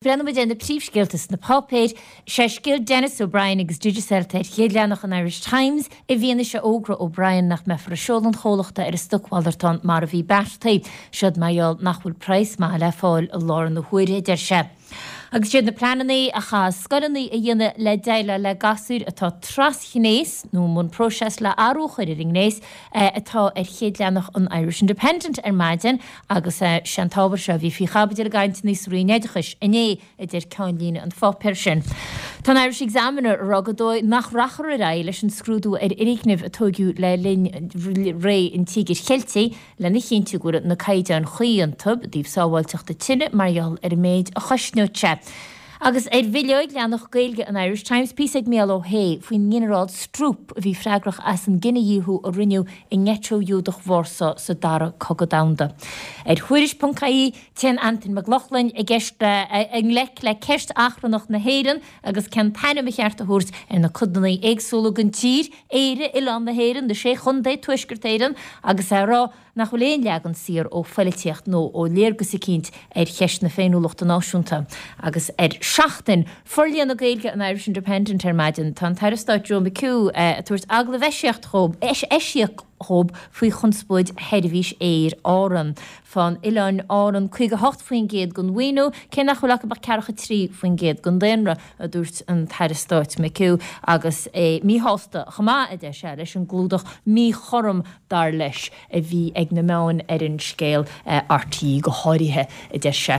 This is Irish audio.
Breathnóidh muid ar na príomhscéalta sna páipéir. Sé scéal Denis O'Brien agus Digicel atá ar chéad leathanach an Irish Times i bhfianaise fhógra O'Brien nach mbeifear ag seoladh an chomhlachta ar an stocmhalartán mar a bhí beartaithe. Siod mar gheall nach bhfuil praghas maith le fáil i láthair na huaire, a deir sé. Agus siad na pleananna a chaithfidh scoileanna a dhéanamh le déileáil le gasúir atá trasghnéas nó i mbun próiseas le athrú a chur ar a ngnéas atá ar chéad leathanach an Irish Independent ar maidin Agus sé an t-ábhar seo a bhí faoi chaibidil i gcainteanna sa Roinn Oideachais inné, a deir ceannlíne an pháipéir sin. Tá an Irish Examiner ag rá gur dóigh nach rachfar ar aghaidh leis an scrúdú ar fhoirgnimh a tóigeadh le linn ré an Tíogair Cheiltigh lena chinntiú go bhfuil na caighdeáin chuí iontu i dtaobh sábháilteachta tine mar gheall ar an méid a chosnódh sé. Agus ar bhileog leathanach Gaeilge an Irish Times, píosa ag Mícheál Ó hAodha faoin nGinearál Stroop a bhí freagrach as an gcinedhíothú a rinneadh i ngeiteo Ghiúdach Vársá sa Dara Cogadh Domhanda. Ar Thuairisc.ie, téann Antain Mac Lochlainn i gceist i ngleic le ceist achrannach na hÉireann agus cén t-ainm ba cheart a thabhairt ar na codanna éagsúla den tír, Éire, Oileán na hÉireann, na Sé Chontae, Tuaisceart Éireann, agus é ag rá nach bhfuil aon leagan saor ó phoilitíocht nó ó léargas eicínt ar cheist na féiniúlachta náisiúnta. Agus ar Seachtain, forlíonadh Gaeilge an Irish Independent ar maidin, tá an tAire Stáit Joe McHugh ag tabhairt agallamh eisiach dhób faoi chonspóid sheirbhís aeir Árann. Faigheann Oileáin Árann 58% den mhaoiniú, cé nach bhfuil acu ach ceathracha 3% den daonra, a dúirt an tAire Stáit McHugh, agus é míshásta chomh maith, a deir sé, leis an gclúdach míchothrom dar leis, a bhí ag na meáin ar an scéal, RTÉ go háirithe, a deir sé.